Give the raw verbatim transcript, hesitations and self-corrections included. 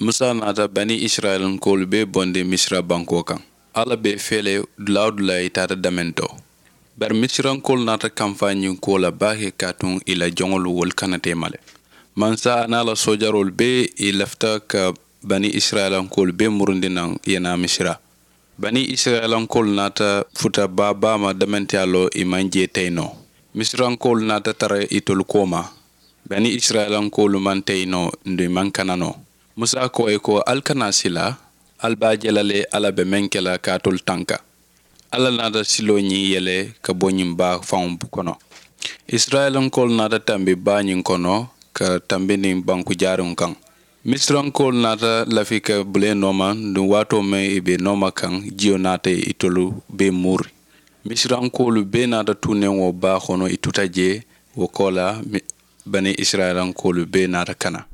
Musa naata bani isirayilankoolu bee bondi misira bankoo kaŋ. Alla be i fee le dulaa-wo-dulaa i taata damentoo. Bari misirankoolu naata kamfaa ñiŋ kuwo la baake kaatuŋ i la joŋolu wolu kana teema le. Mansa a niŋ a la soojaroolu bee i lafita ka bani isirayilankoolu bee murundi naŋ i ye naa misira. Bani isirayilankoolu naata futa baa baa ma damentiyaa loo i maŋ jee teyi noo. Misirankoolu naata tara itolu kooma. Bani isirayilankoolu maŋ teyi noo nduŋ i maŋ kana noo. Musa ko i ko ali kana a sila. Ali be a je la le alla be meŋ ke la ka alitolu tanka. Alla naata siloo ñiŋ yele ka bo ñiŋ baa faŋo kono. Isirayilankoolu naata tambi baa ñiŋ kono ka tambi niŋ banku jaariŋo kaŋ. Misirankoolu naata lafi ka bulee nooma nduŋ waatoo meŋ i be nooma kaŋ jiyo naata itolu bee muuri. Misirankoolu bee naata tuuneŋo baa kono i tuta jee. Wo koolaa bani isirayilankoolu bee naata kana.